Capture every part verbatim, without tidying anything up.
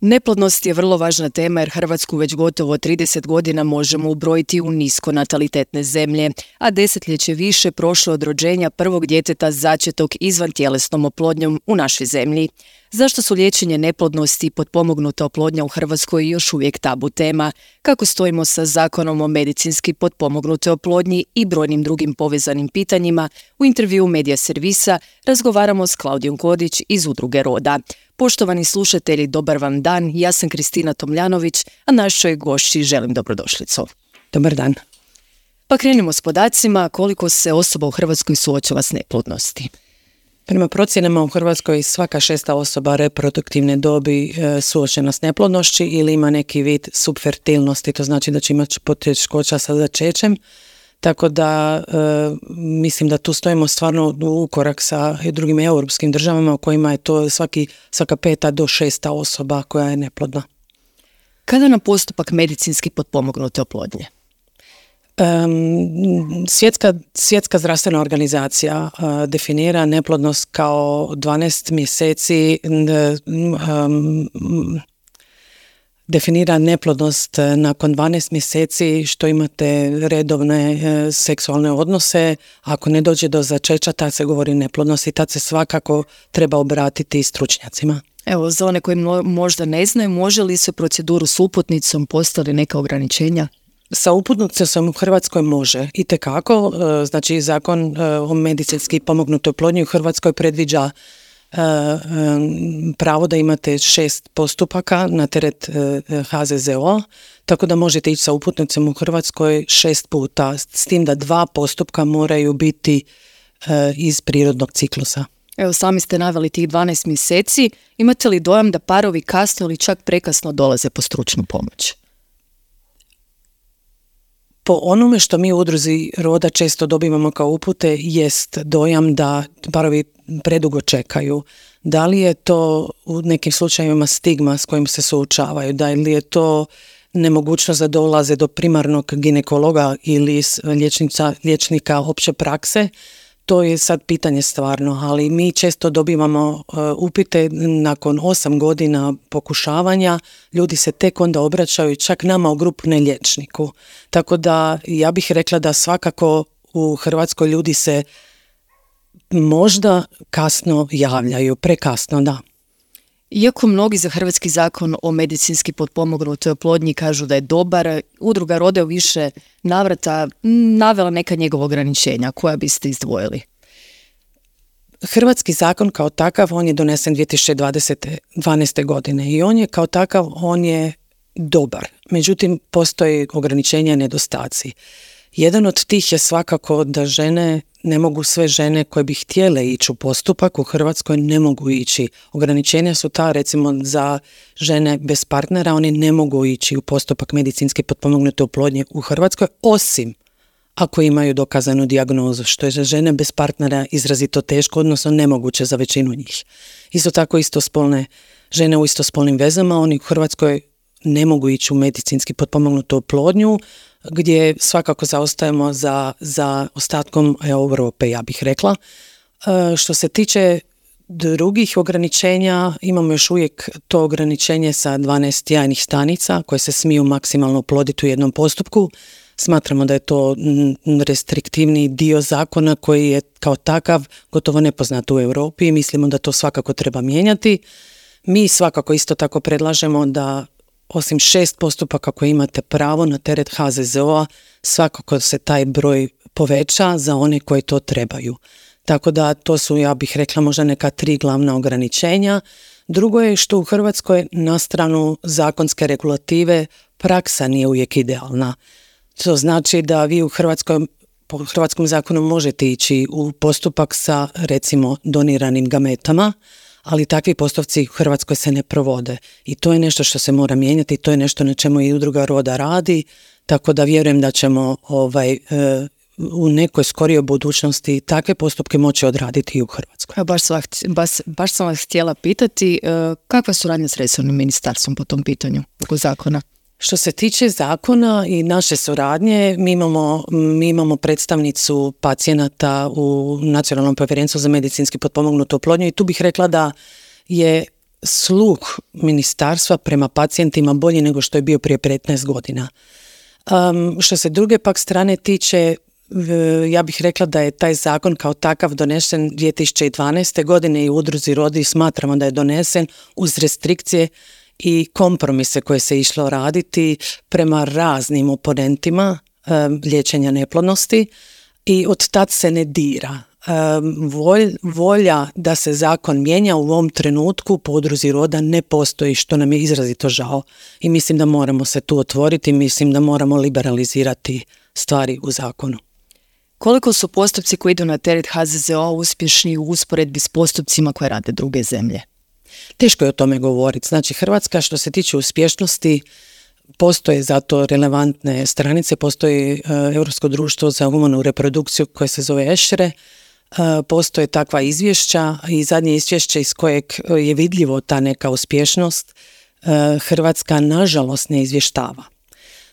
Neplodnost je vrlo važna tema jer Hrvatsku već gotovo trideset godina možemo ubrojiti u niskonatalitetne zemlje, a desetljeće više prošlo od rođenja prvog djeteta začetog izvan tjelesnom oplodnjom u našoj zemlji. Zašto su liječenje neplodnosti i potpomognuta oplodnja u Hrvatskoj još uvijek tabu tema? Kako stojimo sa zakonom o medicinski potpomognutoj oplodnji i brojnim drugim povezanim pitanjima? U intervjuu Medija servisa razgovaramo s Klaudijom Kodić iz Udruge Roda. Poštovani slušatelji, dobar vam dan, ja sam Kristina Tomljanović, a našoj gošći želim dobrodošlicu. Dobar dan. Pa krenimo s podacima koliko se osoba u Hrvatskoj suočava s neplodnosti. Prema procjenama u Hrvatskoj svaka šesta osoba reproduktivne dobi e, suočena s neplodnošću ili ima neki vid subfertilnosti, to znači da će imati poteškoća sa začećem. Tako da e, mislim da tu stojimo stvarno u korak sa drugim europskim državama u kojima je to svaki, svaka peta do šesta osoba koja je neplodna. Kada na postupak medicinski potpomognute oplodnje? Um, svjetska, svjetska zdravstvena organizacija uh, definira neplodnost kao dvanaest mjeseci um, definira neplodnost nakon dvanaest mjeseci što imate redovne e, seksualne odnose. Ako ne dođe do začeća, tad se govori neplodnost i tad se svakako treba obratiti stručnjacima. Evo, za one koji možda ne znaju, može li se proceduru s uputnicom, postoje li neka ograničenja? Sa uputnicom u Hrvatskoj može, itekako. E, znači, zakon e, o medicinski pomognutoj oplodnji u Hrvatskoj predviđa Uh, um, pravo da imate šest postupaka na teret uh, H Z Z O, tako da možete ići sa uputnicom u Hrvatskoj šest puta, s tim da dva postupka moraju biti uh, iz prirodnog ciklusa. Evo, sami ste naveli tih dvanaest mjeseci. Imate li dojam da parovi kasno ili čak prekasno dolaze po stručnu pomoć? Po onome što mi u Udruzi Roda često dobivamo kao upute jest dojam da parovi predugo čekaju. Da li je to u nekim slučajevima stigma s kojim se suočavaju, da li je to nemogućnost da dolaze do primarnog ginekologa ili liječnica, liječnika opće prakse, to je sad pitanje stvarno, ali mi često dobivamo uh, upite nakon osam godina pokušavanja, ljudi se tek onda obraćaju čak nama u grupu, ne liječniku. Tako da ja bih rekla da svakako u Hrvatskoj ljudi se možda kasno javljaju, prekasno, da. Iako mnogi za hrvatski zakon o medicinski potpomognutoj oplodnji kažu da je dobar, Udruga Roda u više navrata navela neka njegova ograničenja. Koja biste izdvojili? Hrvatski zakon kao takav, on je donesen dvije tisuće dvanaeste. godine i on je kao takav, on je dobar. Međutim, postoji ograničenja i nedostaci. Jedan od tih je svakako da žene ne mogu, sve žene koje bi htjele ići u postupak u Hrvatskoj ne mogu ići. Ograničenja su ta, recimo za žene bez partnera, oni ne mogu ići u postupak medicinski potpomognute oplodnje u Hrvatskoj, osim ako imaju dokazanu dijagnozu, što je za žene bez partnera izrazito teško, odnosno nemoguće za većinu njih. Isto tako istospolne žene u istospolnim vezama, oni u Hrvatskoj ne mogu ići u medicinski potpomognutu oplodnju, gdje svakako zaostajemo za, za ostatkom Europe, ja bih rekla. E, što se tiče drugih ograničenja, imamo još uvijek to ograničenje sa dvanaest jajnih stanica koje se smiju maksimalno oploditi u jednom postupku. Smatramo da je to restriktivni dio zakona koji je kao takav gotovo nepoznat u Europi i mislimo da to svakako treba mijenjati. Mi svakako isto tako predlažemo da osim šest postupaka koje imate pravo na teret H Z Z O-a, svakako se taj broj poveća za one koji to trebaju. Tako da to su, ja bih rekla, možda neka tri glavna ograničenja. Drugo je što u Hrvatskoj na stranu zakonske regulative praksa nije uvijek idealna. To znači da vi u Hrvatskoj, po hrvatskom zakonu možete ići u postupak sa, recimo, doniranim gametama, ali takvi postupci u Hrvatskoj se ne provode i to je nešto što se mora mijenjati, to je nešto na čemu i Udruga Roda radi, tako da vjerujem da ćemo ovaj, e, u nekoj skorijoj budućnosti takve postupke moći odraditi i u Hrvatskoj. Ja baš, sam, baš, baš sam vas htjela pitati, e, kakva suradnja s resornim ministarstvom po tom pitanju oko zakona? Što se tiče zakona i naše suradnje, mi imamo, mi imamo predstavnicu pacijenata u Nacionalnom povjerenstvu za medicinski potpomognutu oplodnju i tu bih rekla da je sluh ministarstva prema pacijentima bolji nego što je bio prije petnaest godina. Um, što se druge pak strane tiče, ja bih rekla da je taj zakon kao takav donesen dvije tisuće dvanaeste. godine i u udruzi Rodi smatramo da je donesen uz restrikcije i kompromise koje se išlo raditi prema raznim oponentima um, liječenja neplodnosti i od tad se ne dira. Um, volj, volja da se zakon mijenja u ovom trenutku po udruzi Roda ne postoji, što nam je izrazito žao i mislim da moramo se tu otvoriti, mislim da moramo liberalizirati stvari u zakonu. Koliko su postupci koji idu na teret H Z Z O uspješni u usporedbi s postupcima koje rade druge zemlje? Teško je o tome govoriti. Znači, Hrvatska što se tiče uspješnosti, postoje zato relevantne stranice, postoji uh, Europsko društvo za humanu reprodukciju koje se zove EŠRE, uh, postoje takva izvješća i zadnje izvješće iz kojeg je vidljivo ta neka uspješnost, uh, Hrvatska nažalost ne izvještava.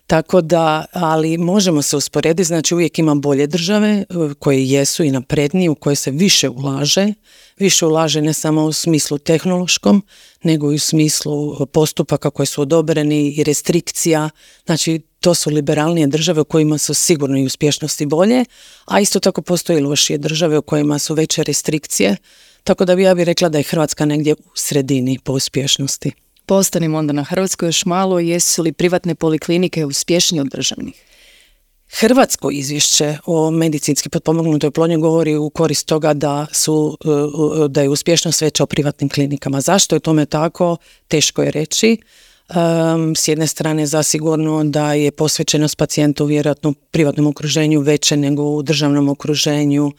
Tako da, ali možemo se usporediti, znači uvijek ima bolje države koje jesu i naprednije, u koje se više ulaže, više ulaže ne samo u smislu tehnološkom, nego i u smislu postupaka koji su odobreni i restrikcija, znači to su liberalnije države u kojima su sigurno i uspješnosti bolje, a isto tako postoji lošije države u kojima su veće restrikcije, tako da bi ja bih rekla da je Hrvatska negdje u sredini po uspješnosti. Postanimo onda na Hrvatskoj još malo, jesu li privatne poliklinike uspješnije od državnih? Hrvatsko izvješće o medicinski potpomognutoj oplodnji govori u korist toga da su da je uspješnost veća u privatnim klinikama. Zašto je tome tako? Teško je reći. Um, s jedne strane zasigurno da je posvećenost pacijentu vjerojatno u privatnom okruženju veće nego u državnom okruženju. Uh,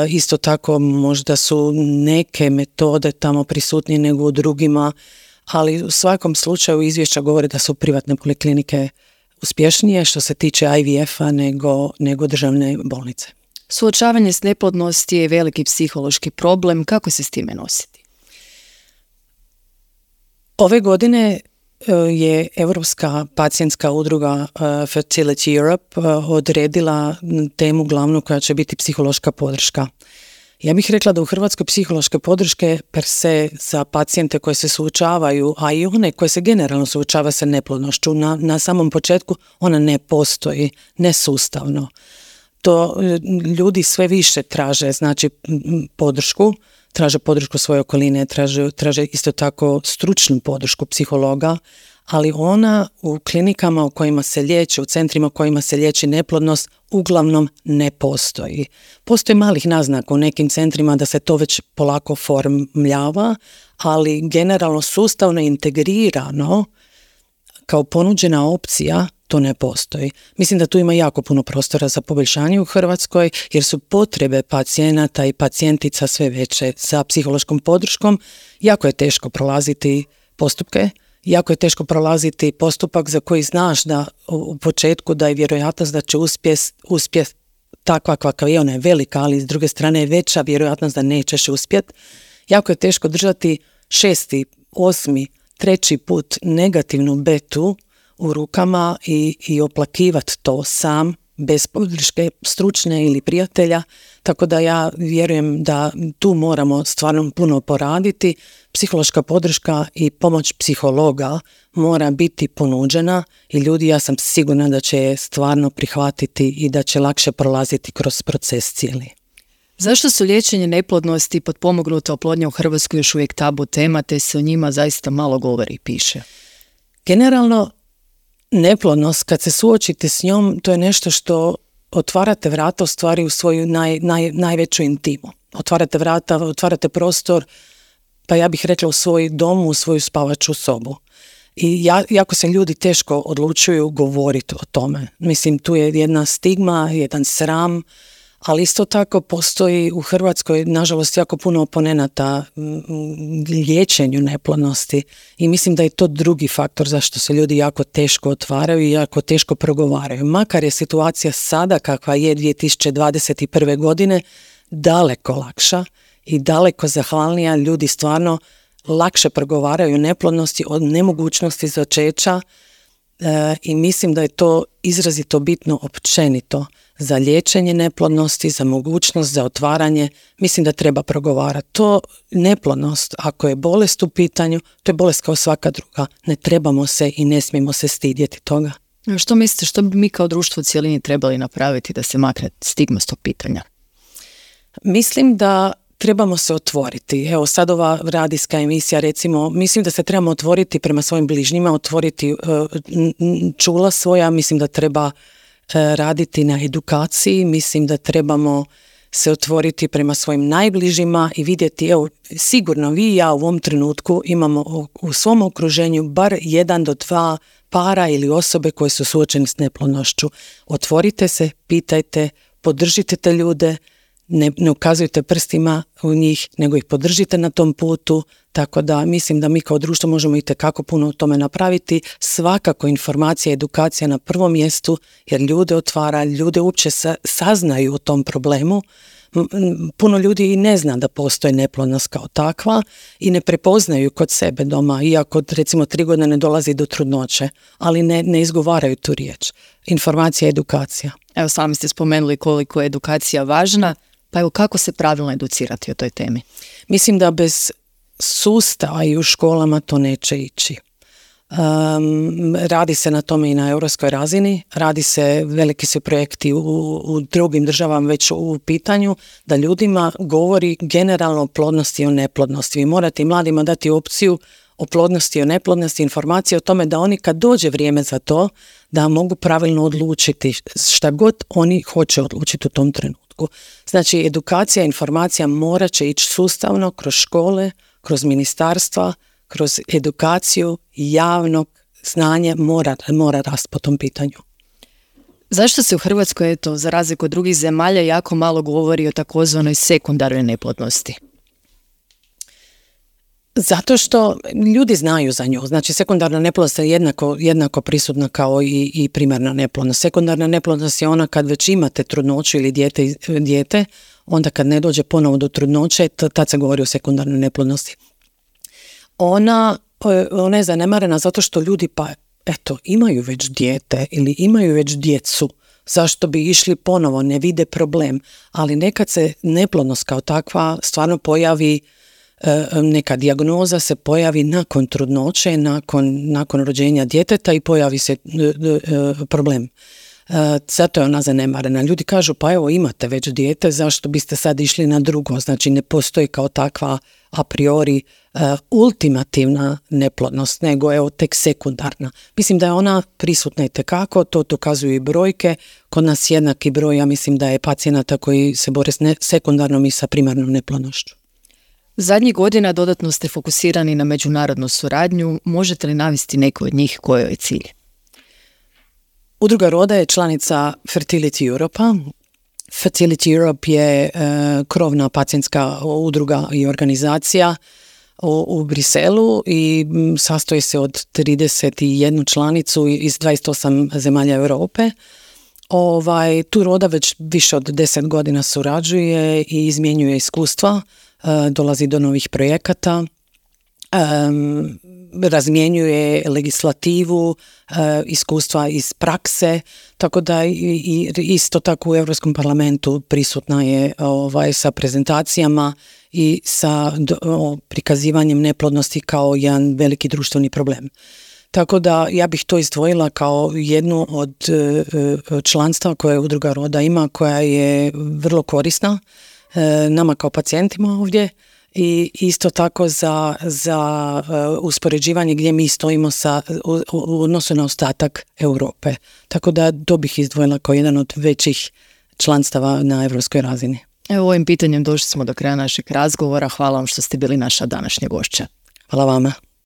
isto tako možda su neke metode tamo prisutnije nego u drugima, ali u svakom slučaju izvješća govore da su privatne poliklinike uspješnije što se tiče I V F-a nego, nego državne bolnice. Suočavanje s neplodnosti je veliki psihološki problem. Kako se s time nositi? Ove godine je Europska pacijentska udruga Fertility Europe odredila temu glavnu koja će biti psihološka podrška. Ja bih rekla da u Hrvatskoj psihološke podrške per se za pacijente koje se suočavaju, a i one koje se generalno suočava sa neplodnošću, na, na samom početku ona ne postoji, nesustavno. To ljudi sve više traže, znači podršku, traže podršku svoje okoline, traže, traže isto tako stručnu podršku psihologa, ali ona u klinikama u kojima se liječi, u centrima u kojima se liječi neplodnost, uglavnom ne postoji. Postoji malih naznaka u nekim centrima da se to već polako formljava, ali generalno sustavno integrirano kao ponuđena opcija to ne postoji. Mislim da tu ima jako puno prostora za poboljšanje u Hrvatskoj jer su potrebe pacijenata i pacijentica sve veće za psihološkom podrškom. Jako je teško prolaziti postupke, jako je teško prolaziti postupak za koji znaš da u početku da je vjerojatnost da će uspjeti uspjet takva kakva je, ona je velika, ali s druge strane je veća vjerojatnost da nećeš uspjeti. Jako je teško držati šesti, osmi, treći put negativnu betu u rukama i, i oplakivati to sam, bez podrške stručne ili prijatelja, tako da ja vjerujem da tu moramo stvarno puno poraditi. Psihološka podrška i pomoć psihologa mora biti ponuđena i ljudi, ja sam sigurna da će je stvarno prihvatiti i da će lakše prolaziti kroz proces cijeli. Zašto su liječenje neplodnosti i potpomognuta oplodnja u Hrvatskoj još uvijek tabu tema, te se o njima zaista malo govori i piše? Generalno, neplodnost, kad se suočite s njom, to je nešto što otvarate vrata u stvari u svoju naj, naj, najveću intimu. Otvarate vrata, otvarate prostor, pa ja bih rekla u svoj dom, u svoju spavaču sobu. I ja, jako se ljudi teško odlučuju govoriti o tome. Mislim, tu je jedna stigma, jedan sram, ali isto tako postoji u Hrvatskoj, nažalost, jako puno oponenata liječenju neplodnosti i mislim da je to drugi faktor zašto se ljudi jako teško otvaraju i jako teško progovaraju. Makar je situacija sada kakva je dvije tisuće dvadeset prve. godine daleko lakša i daleko zahvalnija, ljudi stvarno lakše progovaraju o neplodnosti, od nemogućnosti začeća e, i mislim da je to izrazito bitno općenito za liječenje neplodnosti, za mogućnost, za otvaranje. Mislim da treba progovarati. To neplodnost, ako je bolest u pitanju, to je bolest kao svaka druga. Ne trebamo se i ne smijemo se stidjeti toga. Što mislite, što bi mi kao društvo u cjelini trebali napraviti da se makne stigma s tog pitanja? Mislim da trebamo se otvoriti. Evo sad ova radijska emisija, recimo, mislim da se trebamo otvoriti prema svojim bližnjima, otvoriti čula svoja, mislim da treba raditi na edukaciji, mislim da trebamo se otvoriti prema svojim najbližima i vidjeti, evo, sigurno vi i ja u ovom trenutku imamo u svom okruženju bar jedan do dva para ili osobe koje su suočene s neplodnošću. Otvorite se, pitajte, podržite te ljude, ne, ne ukazujte prstima u njih, nego ih podržite na tom putu, tako da mislim da mi kao društvo možemo itekako puno u tome napraviti. Svakako informacija, edukacija na prvom mjestu, jer ljude otvara, ljude uopće sa, saznaju o tom problemu. Puno ljudi i ne zna da postoji neplodnost kao takva i ne prepoznaju kod sebe doma, iako recimo tri godine ne dolazi do trudnoće, ali ne, ne izgovaraju tu riječ. Informacija, edukacija. Evo, sami ste spomenuli koliko je edukacija važna, pa evo kako se pravilno educirati o toj temi? Mislim da bez sustava i u školama to neće ići. Um, radi se na tome i na europskoj razini, radi se, veliki su projekti u, u drugim državama već u pitanju, da ljudima govori generalno o plodnosti i o neplodnosti. Vi morate i mladima dati opciju o plodnosti i o neplodnosti, informacije o tome da oni kad dođe vrijeme za to, da mogu pravilno odlučiti šta god oni hoće odlučiti u tom trenutku. Znači, edukacija, informacija morat će ići sustavno kroz škole, kroz ministarstva, kroz edukaciju, javnog znanja mora, mora rast po tom pitanju. Zašto se u Hrvatskoj, eto, za razliku od drugih zemalja, jako malo govori o takozvanoj sekundarnoj neplodnosti? Zato što ljudi znaju za nju. Znači, sekundarna neplodnost je jednako, jednako prisutna kao i, i primarna neplodnost. Sekundarna neplodnost je ona kad već imate trudnoću ili dijete, dijete onda kad ne dođe ponovo do trudnoće, tad se govori o sekundarnoj neplodnosti. Ona, ona je zanemarena zato što ljudi pa eto imaju već dijete ili imaju već djecu, zašto bi išli ponovo, ne vide problem, ali nekad se neplodnost kao takva stvarno pojavi, neka dijagnoza se pojavi nakon trudnoće, nakon, nakon rođenja djeteta i pojavi se problem. Zato je ona zanemarena. Ljudi kažu pa evo imate već dijete, zašto biste sad išli na drugo? Znači ne postoji kao takva a priori uh, ultimativna neplodnost, nego evo tek sekundarna. Mislim da je ona prisutna itekako, to dokazuju i brojke. Kod nas jednaki broj, ja mislim da je pacijenata koji se bore s ne- sekundarnom i sa primarnom neplodnošću. Zadnjih godina dodatno ste fokusirani na međunarodnu suradnju. Možete li navesti neku od njih kojoj je cilj? Udruga Roda je članica Fertility Europa. Fertility Europe je uh, krovna pacijentska udruga i organizacija u, u Briselu i m, sastoji se od trideset jednu članicu iz dvadeset osam zemalja Europe. Ovaj, tu Roda već više od deset godina surađuje i izmjenjuje iskustva, uh, dolazi do novih projekata. Um, razmjenjuje legislativu, uh, iskustva iz prakse, tako da i, i isto tako u Europskom parlamentu prisutna je ovaj, sa prezentacijama i sa do, o, prikazivanjem neplodnosti kao jedan veliki društveni problem. Tako da ja bih to izdvojila kao jednu od uh, članstva koje Udruga Roda ima, koja je vrlo korisna uh, nama kao pacijentima ovdje, i isto tako za, za uh, uspoređivanje gdje mi stojimo sa, u, u odnosu na ostatak Europe. Tako da to bih izdvojila kao jedan od većih članstava na europskoj razini. Evo, ovim pitanjem došli smo do kraja našeg razgovora. Hvala vam što ste bili naša današnja gošća. Hvala vama.